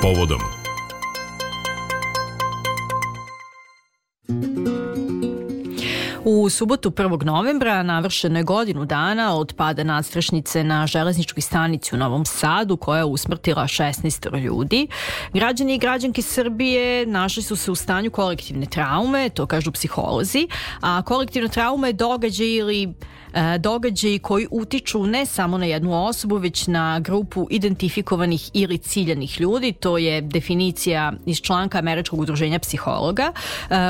Povodom. U subotu 1. novembra navršeno je godinu dana od pada nadstrešnice na železničkoj stanici u Novom Sadu koja je usmrtila 16 ljudi. Građani i građanke Srbije našli su se u stanju kolektivne traume, to kažu psiholozi, a kolektivna trauma je događaji koji utiču ne samo na jednu osobu, već na grupu identifikovanih ili ciljanih ljudi. To je definicija iz članka Američkog udruženja psihologa.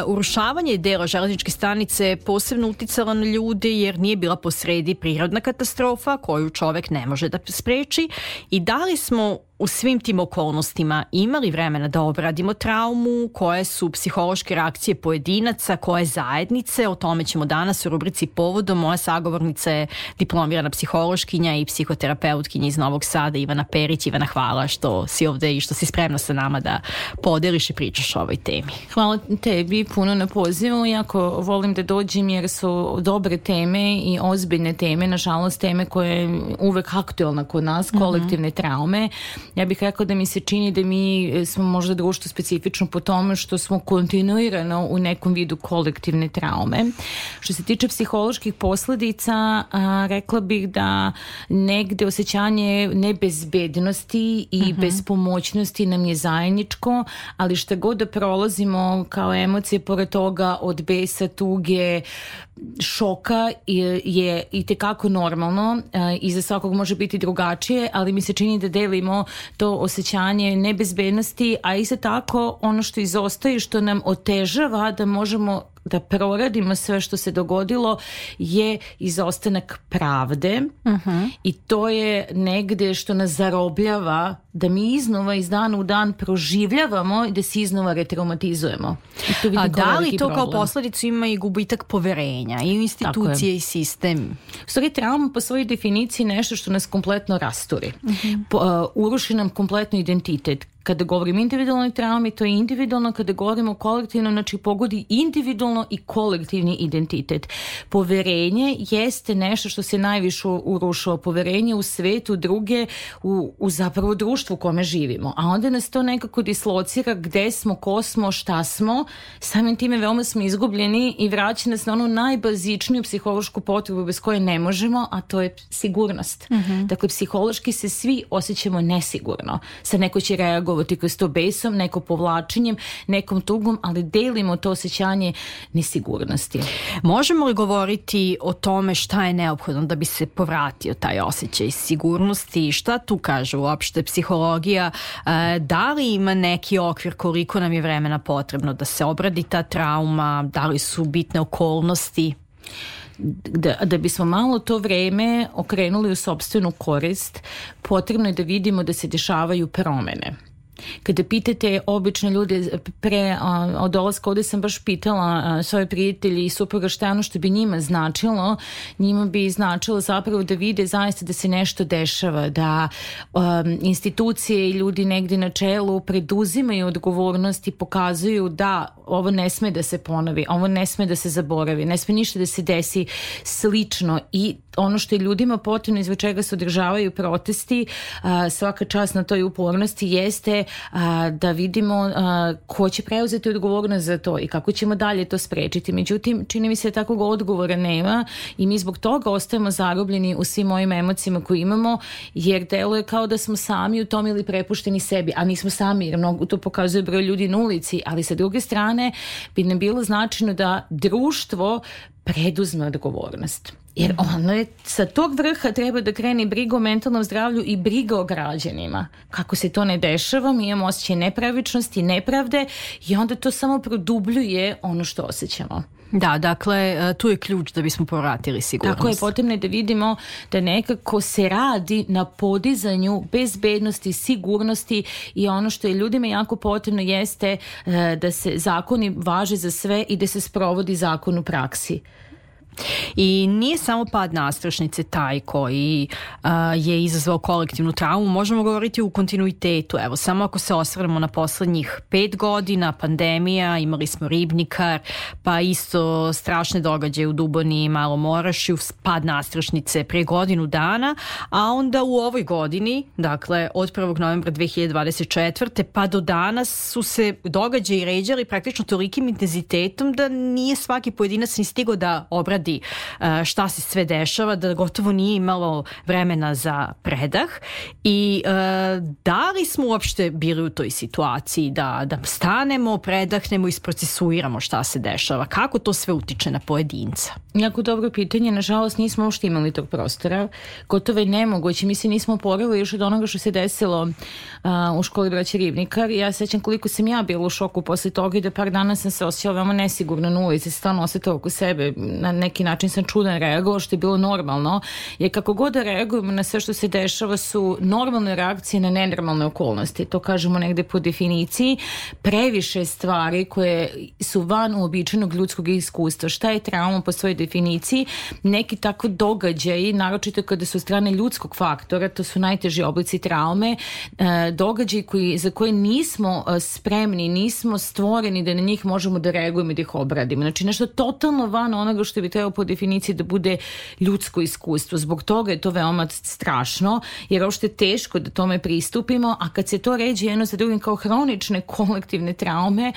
Urušavanje dela železničke stanice posebno uticala na ljude jer nije bila posredi prirodna katastrofa koju čovek ne može da spreči i da li smo u svim tim okolnostima imali vremena da obradimo traumu, koje su psihološke reakcije pojedinaca, koje zajednice, o tome ćemo danas u rubrici Povodom. Moja sagovornica je diplomirana psihološkinja i psihoterapeutkinja iz Novog Sada, Ivana Perić. Ivana, hvala što si ovde i što si spremna sa nama da podeliš i pričaš o ovoj temi. Hvala tebi puno na pozivu, jako volim da dođem jer su dobre teme i ozbiljne teme, nažalost teme koje je uvek aktualna kod nas, kolektivne traume. Ja bih rekao da mi se čini da mi smo možda društvo specifično po tome što smo kontinuirano u nekom vidu kolektivne traume. Što se tiče psiholoških posledica, rekla bih da negde osjećanje nebezbednosti i bespomoćnosti nam je zajedničko, ali šta god da prolazimo kao emocije pored toga od besa, tuge, šoka je i tekako normalno i za svakog može biti drugačije, ali mi se čini da delimo to osjećanje nebezbednosti, a isto tako ono što izostaje, što nam otežava da možemo da proradimo sve što se dogodilo je izostanak pravde i to je negde što nas zarobljava da mi iznova iz dana u dan proživljavamo i da se iznova retraumatizujemo. A da li to kao posledicu ima i gubitak poverenja i u institucije i sistem? U stvari trauma po svojoj definiciji nešto što nas kompletno rasturi. Uruši nam kompletno identitet. Kada govorim individualnoj traumi, to je individualno, kada govorimo kolektivno, znači pogodi individualno i kolektivni identitet. Poverenje jeste nešto što se najviše urušava. Poverenje u svetu, druge, u zapravo društvu u kome živimo. A onda nas to nekako dislocira gde smo, ko smo, šta smo. Samim time veoma smo izgubljeni i vraća nas na onu najbazičniju psihološku potrebu bez koje ne možemo, a to je sigurnost. Dakle, psihološki se svi osjećamo nesigurno. Sad neko će reagovati kroz to besom, neko povlačenjem, nekom tugom, ali delimo to osjećanje nesigurnosti. Možemo li govoriti o tome šta je neophodno da bi se povratio taj osjećaj sigurnosti? Šta tu kaže uopšte psihologija? Da li ima neki okvir koliko nam je vremena potrebno da se obradi ta trauma? Da li su bitne okolnosti? Da bismo malo to vreme okrenuli u sopstvenu korist, potrebno je da vidimo da se dešavaju promene. Kada pitate obične ljude od dolaska ovde sam baš pitala svoje prijatelji i supruga šta je ono što bi njima značilo. Njima bi značilo zapravo da vide zaista da se nešto dešava, da institucije i ljudi negdje na čelu preduzimaju odgovornost i pokazuju da ovo ne sme da se ponovi, ovo ne sme da se zaboravi, ne sme ništa da se desi slično. I ono što je ljudima potrebno, izvod čega se održavaju protesti, svaka čast na toj upornosti, jeste da vidimo ko će preuzeti odgovornost za to i kako ćemo dalje to sprečiti. Međutim, čini mi se da takvog odgovora nema i mi zbog toga ostajemo zarobljeni u svim ovim emocijama koje imamo, jer deluje kao da smo sami u tom ili prepušteni sebi, a nismo sami, jer mnogo to pokazuje broj ljudi na ulici, ali sa druge strane bi nam bilo značajno da društvo preduzme odgovornost. Jer ono je, sa tog vrha treba da krene briga o mentalnom zdravlju i briga o građanima. Kako se to ne dešava, mi imamo osjećaj nepravičnosti, nepravde i onda to samo produbljuje ono što osjećamo. Da, dakle, tu je ključ da bismo povratili sigurnost. Tako je, potrebno je da vidimo da nekako se radi na podizanju bezbednosti, sigurnosti i ono što je ljudima jako potrebno jeste da se zakoni važe za sve i da se sprovodi zakon u praksi. I nije samo pad nadstrešnice taj koji je izazvao kolektivnu traumu, možemo govoriti u kontinuitetu. Evo, samo ako se osvrnemo na poslednjih 5 godina, pandemija, imali smo Ribnikar, pa isto strašne događaje u Duboni i Malom Orašju, pad nadstrešnice pre godinu dana, a onda u ovoj godini, dakle od 1. novembra 2024. pa do danas su se događaji ređali praktično tolikim intenzitetom da nije svaki pojedinac ni stigao da obradi šta se sve dešava, da gotovo nije imalo vremena za predah. I da li smo uopšte bili u toj situaciji da stanemo, predahnemo i isprocesuiramo šta se dešava? Kako to sve utiče na pojedinca? Jako dobro pitanje. Nažalost, nismo uopšte imali tog prostora. Gotovo je nemoguće. Mi se nismo oporavili još od onoga što se desilo u školi braće Ribnikar. Ja sećam koliko sam ja bila u šoku posle toga i da par dana sam se osjećala veoma nesigurno na ulici. Stvarno osjetila oko sebe. Na neki način sam čudan reagovao, što je bilo normalno. Jer kako god da reagujemo na sve što se dešava su normalne reakcije na nenormalne okolnosti. To kažemo negde po definiciji. Previše stvari koje su van uobičajenog ljudskog iskustva. Šta je trauma po svojoj definiciji? Neki tako događaji, naročito kada su strane ljudskog faktora, to su najteži oblici traume, događaji za koje nismo spremni, nismo stvoreni da na njih možemo da reagujemo i da ih obradimo. Znači nešto totalno van onoga što bi trebalo po definiciji da bude ljudsko iskustvo. Zbog toga je to veoma strašno, jer uopšte je teško da tome pristupimo, a kad se to ređe jedno za drugim kao hronične kolektivne traume,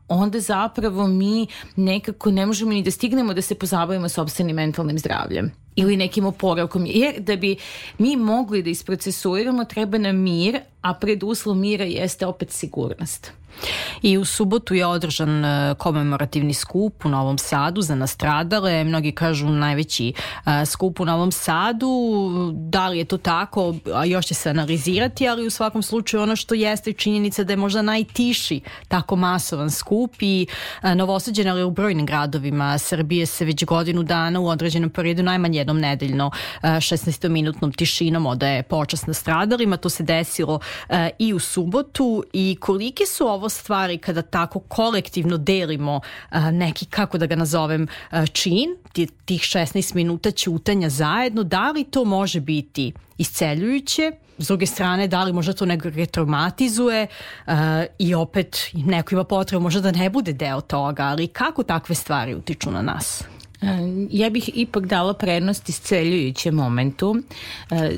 onda zapravo mi nekako ne možemo ni da stignemo da se pozabavimo sopstvenim mentalnim zdravljem ili nekim oporavkom. Jer da bi mi mogli da isprocesuiramo, treba nam mir, a preduslov mira jeste opet sigurnost. I u subotu je održan komemorativni skup u Novom Sadu za nastradale. Mnogi kažu najveći skup u Novom Sadu. Da li je to tako? Još će se analizirati, ali u svakom slučaju ono što jeste činjenica da je možda najtiši tako masovan skup i Novosađen, ali u brojnim gradovima Srbije se već godinu dana u određenom periodu najmanje jednom nedeljno 16-minutnom tišinom odaje počast nastradalima. To se desilo i u subotu. I kolike su ovo stvari kada tako kolektivno delimo neki, kako da ga nazovem, čin, tih 16 minuta ćutanja zajedno, da li to može biti isceljujuće? S druge strane, da li možda to nekako traumatizuje i opet neko ima potrebu možda da ne bude deo toga, ali kako takve stvari utiču na nas? Ja bih ipak dala prednost isceljujućem momentu.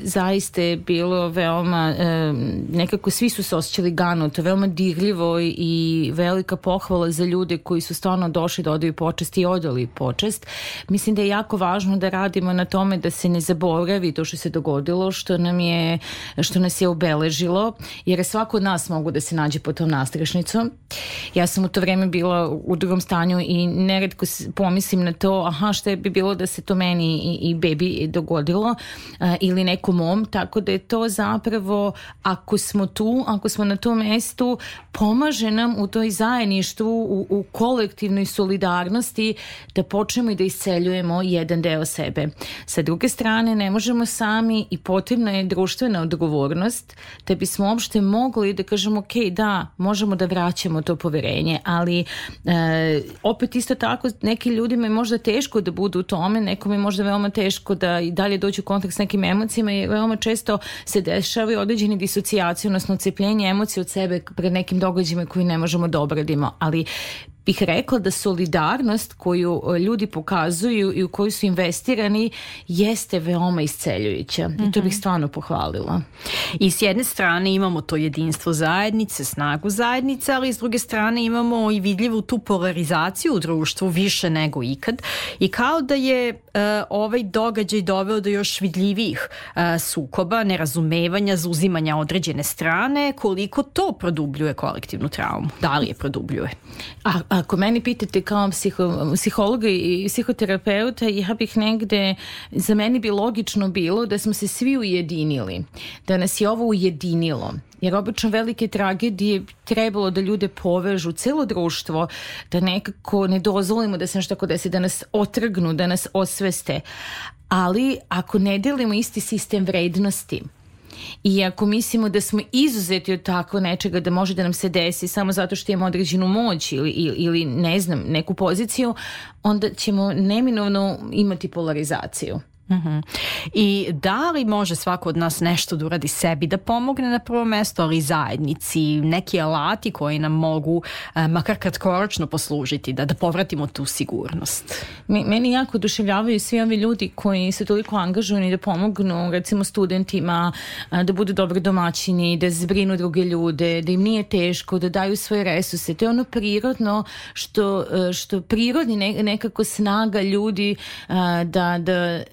Zaista je bilo veoma, nekako svi su se osjećali ganuto, veoma dirljivo i velika pohvala za ljude koji su stvarno došli da odaju počast i odali počast. Mislim da je jako važno da radimo na tome da se ne zaboravi to što se dogodilo, što nas je obeležilo, jer svako od nas mogu da se nađe pod tom nastrešnicom. Ja sam u to vreme bila u drugom stanju i neretko pomislim na to, šta bi bilo da se to meni i bebi dogodilo ili nekom mom, tako da je to zapravo, ako smo tu, ako smo na tom mestu, pomaže nam u toj zajedništvu, u kolektivnoj solidarnosti da počnemo i da isceljujemo jedan deo sebe. Sa druge strane, ne možemo sami i potrebna je društvena odgovornost da bismo uopšte mogli da kažemo ok, da, možemo da vraćamo to poverenje, ali opet isto tako neki ljudima je možda teško da budu u tome, nekom je možda veoma teško da i dalje dođu u kontakt s nekim emocijama i veoma često se dešavaju određene disocijacije, odnosno odcepljenje emocije od sebe pred nekim događajima koji ne možemo da obradimo, ali bih rekla da solidarnost koju ljudi pokazuju i u koju su investirani jeste veoma isceljujuća. I to bih stvarno pohvalila. I s jedne strane imamo to jedinstvo zajednice, snagu zajednice, ali s druge strane imamo i vidljivu tu polarizaciju u društvu više nego ikad. I kao da je ovaj događaj doveo do još vidljivijih sukoba, nerazumevanja, zauzimanja određene strane, koliko to produbljuje kolektivnu traumu? Da li je produbljuje? Ako meni pitate kao psihologa i psihoterapeuta, ja bih negde, za meni bi logično bilo da smo se svi ujedinili, da nas je ovo ujedinilo. Jer obično velike tragedije trebalo da ljude povežu, celo društvo, da nekako ne dozvolimo da se nešto tako desi, da nas otrgnu, da nas osveste. Ali ako ne delimo isti sistem vrednosti, I ako mislimo da smo izuzeti od tako nečega, da može da nam se desi samo zato što imamo određenu moć ili ne znam, neku poziciju, onda ćemo neminovno imati polarizaciju. Uh-huh. I da li može svako od nas nešto da uradi sebi, da pomogne na prvo mesto, ali zajednici, neki alati koji nam mogu makar kratkoročno poslužiti da povratimo tu sigurnost? Meni jako oduševljavaju svi ovi ljudi koji su toliko angažovani da pomognu recimo studentima, da budu dobri domaćini, da zbrinu druge ljude, da im nije teško, da daju svoje resurse. To je ono prirodno što prirodni nekako snaga ljudi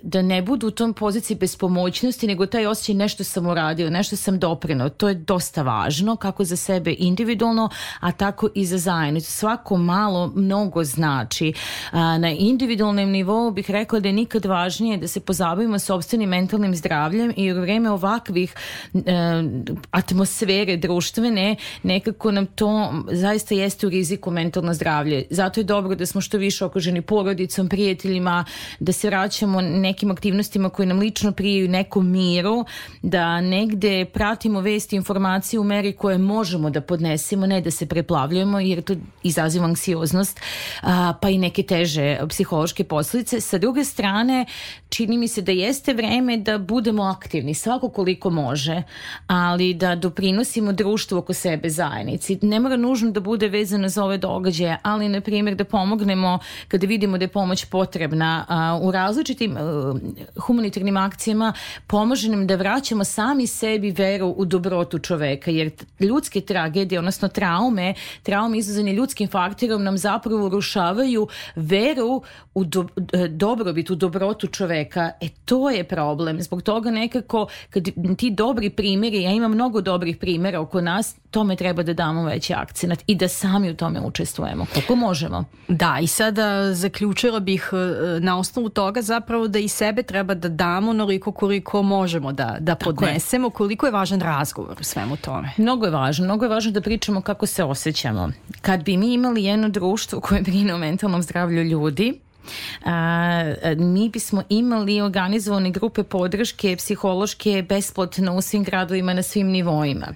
da ne budu u tom poziciji bespomoćnosti, nego taj osjećaj nešto sam uradio, nešto sam doprineo. To je dosta važno, kako za sebe individualno, a tako i za zajednicu. Svako malo mnogo znači. Na individualnom nivou bih rekla da je nikad važnije da se pozabavimo sopstvenim mentalnim zdravljem i u vreme ovakvih atmosfere društvene nekako nam to zaista jeste u riziku mentalno zdravlje. Zato je dobro da smo što više okruženi porodicom, prijateljima, da se vraćamo nekim aktivnostima koje nam lično prijaju nekom miru, da negde pratimo vesti i informacije u meri koje možemo da podnesemo, ne da se preplavljujemo, jer to izaziva anksioznost, pa i neke teže psihološke posljedice. Sa druge strane, čini mi se da jeste vreme da budemo aktivni, svako koliko može, ali da doprinosimo društvu oko sebe, zajednici. Ne mora nužno da bude vezano za ove događaje, ali na primjer da pomognemo kada vidimo da je pomoć potrebna u različitim humanitarnim akcijama, pomože nam da vraćamo sami sebi veru u dobrotu čoveka, jer ljudske tragedije, odnosno traume izazvane ljudskim faktorom nam zapravo urušavaju veru u dobrobit, u dobrotu čoveka. To je problem. Zbog toga nekako kad ti dobri primjeri, ja imam mnogo dobrih primjera oko nas, tome treba da damo veći akcenat i da sami u tome učestvujemo, kako možemo. Da, i sada zaključila bih na osnovu toga zapravo da i sebe treba da damo onoliko koliko možemo da podnesemo, koliko je važan razgovor u svemu tome. Mnogo je važno da pričamo kako se osjećamo. Kad bi mi imali jedno društvo koje brine o mentalnom zdravlju ljudi, mi bismo imali organizovane grupe podrške psihološke besplatno u svim gradovima na svim nivoima.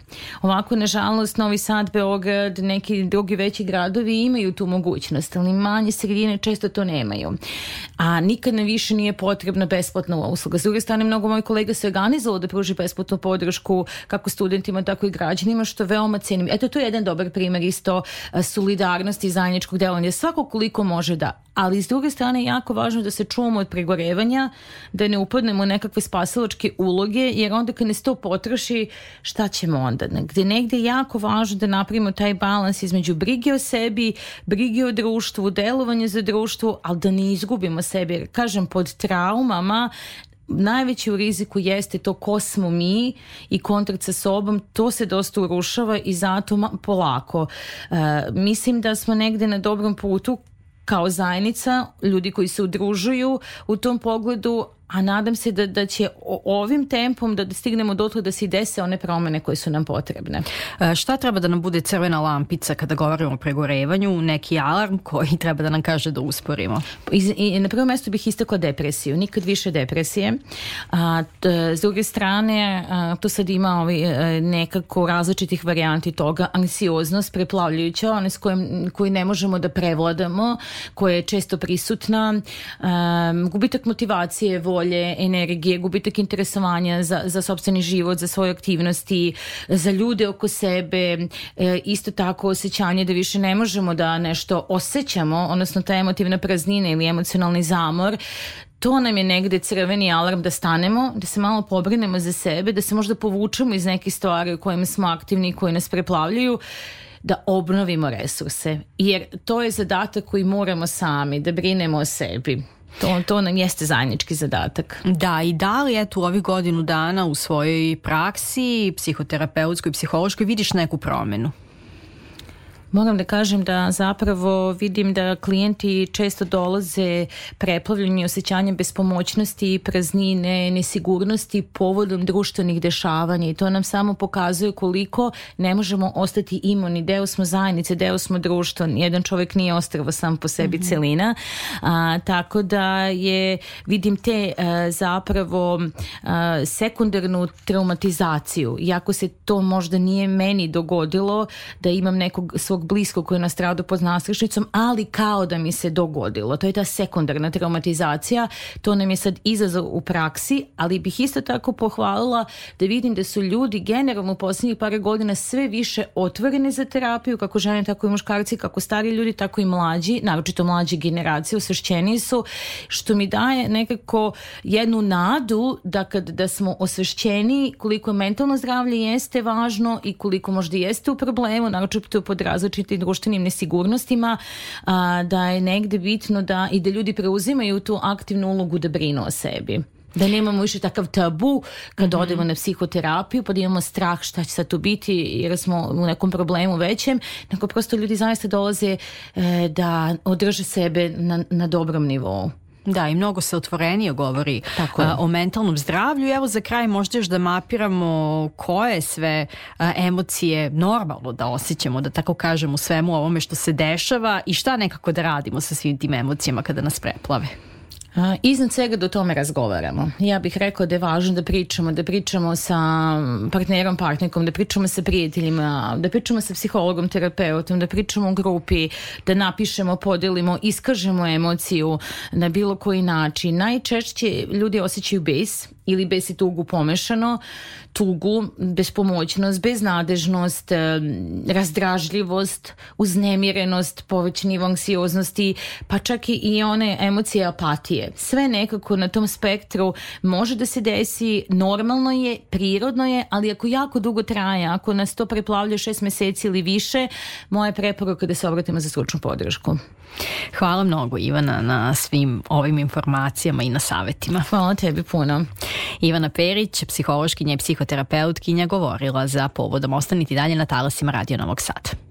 Ovako, nažalost, Novi Sad, Beograd, neki drugi veći gradovi imaju tu mogućnost, ali manje sredine često to nemaju. A nikad nam više nije potrebna besplatna usluga. S druge strane, mnogo mojih kolega se organizovalo da pruži besplatnu podršku kako studentima, tako i građanima, što veoma cenim. Eto, to je jedan dobar primjer isto solidarnosti i zajedničkog delovanja. Svako koliko može da. Ali s druge strane je jako važno da se čuvamo od pregorevanja, da ne upadnemo u nekakve spasilačke uloge, jer onda kad nas to potroši, šta ćemo onda? Gde negde je jako važno da napravimo taj balans između brige o sebi, brige o društvu, delovanje za društvo, ali da ne izgubimo sebe. Jer, kažem, pod traumama najveći u riziku jeste to ko smo mi i kontakt sa sobom, to se dosta urušava i zato polako. Mislim da smo negde na dobrom putu kao zajednica, ljudi koji se udružuju u tom pogledu, a nadam se da će ovim tempom da stignemo dotle da se dese one promene koje su nam potrebne. Šta treba da nam bude crvena lampica kada govorimo o pregorevanju, neki alarm koji treba da nam kaže da usporimo? I na prvo mjesto bih istakla depresiju, nikad više depresije. S druge strane, to sad ima nekako različitih varijanti toga, anksioznost preplavljujuća, one s koju ne možemo da prevladamo, koja je često prisutna, gubitak motivacije, volje, energije, gubitak interesovanja za sopstveni život, za svoje aktivnosti, za ljude oko sebe, isto tako osjećanje da više ne možemo da nešto osjećamo, odnosno ta emotivna praznina ili emocionalni zamor. To nam je negde crveni alarm da stanemo, da se malo pobrinemo za sebe, da se možda povučemo iz nekih stvari u kojima smo aktivni i koji nas preplavljaju, da obnovimo resurse. Jer to je zadatak koji moramo sami, da brinemo o sebi. To nam jeste zajednički zadatak. Da, i da li eto u ovih godinu dana u svojoj praksi, psihoterapeutskoj i psihološkoj, vidiš neku promenu? Moram da kažem da zapravo vidim da klijenti često dolaze preplavljeni osjećanjem bespomoćnosti, praznine, nesigurnosti povodom društvenih dešavanja i to nam samo pokazuje koliko ne možemo ostati imuni. Deo smo zajednice, deo smo društva. Jedan čovjek nije ostrvo sam po sebi celina. Tako da vidim te zapravo sekundarnu traumatizaciju. Iako se to možda nije meni dogodilo da imam nekog svog bliskog koji je nastradao pod nadstrešnicom, ali kao da mi se dogodilo. To je ta sekundarna traumatizacija. To nam je sad izazov u praksi, ali bih isto tako pohvalila da vidim da su ljudi generalno u posljednjih par godina sve više otvoreni za terapiju, kako žene, tako i muškarci, kako stari ljudi, tako i mlađi, naročito mlađe generacije, osvešćeni su, što mi daje nekako jednu nadu da smo osvešćeni koliko mentalno zdravlje jeste važno i koliko možda jeste u problemu, naročito pod različitim društvenim nesigurnostima, da je negde bitno da ljudi preuzimaju tu aktivnu ulogu da brinu o sebi. Da nemamo više takav tabu kad odemo na psihoterapiju, pa da imamo strah šta će sad tu biti jer smo u nekom problemu većem, nego prosto ljudi zaista dolaze da održe sebe na dobrom nivou. Da, i mnogo se otvorenije govori o mentalnom zdravlju. Evo za kraj možda još da mapiramo koje sve emocije normalno da osjećamo, da tako kažem, u svemu ovome što se dešava i šta nekako da radimo sa svim tim emocijama kada nas preplave. Iznad svega da o tome razgovaramo. Ja bih rekla da je važno da pričamo sa partnerom, partnerkom, da pričamo sa prijateljima, da pričamo sa psihologom, terapeutom, da pričamo u grupi, da napišemo, podelimo, iskažemo emociju na bilo koji način. Najčešće ljudi osjećaju bes ili bes i tugu pomešano, tugu, bespomoćnost, beznadežnost, razdražljivost, uznemirenost, povećan nivo anksioznosti, pa čak i one emocije apatije. Sve nekako na tom spektru može da se desi, normalno je, prirodno je, ali ako jako dugo traje, ako nas to preplavlja 6 meseci ili više, moja preporuka da se obratimo za stručnu podršku. Hvala mnogo, Ivana, na svim ovim informacijama i na savjetima. Hvala tebi puno. Ivana Perić, psihološkinja i psihoterapeutkinja, govorila za Povodom. Ostanite dalje na talasima Radio Novog Sada.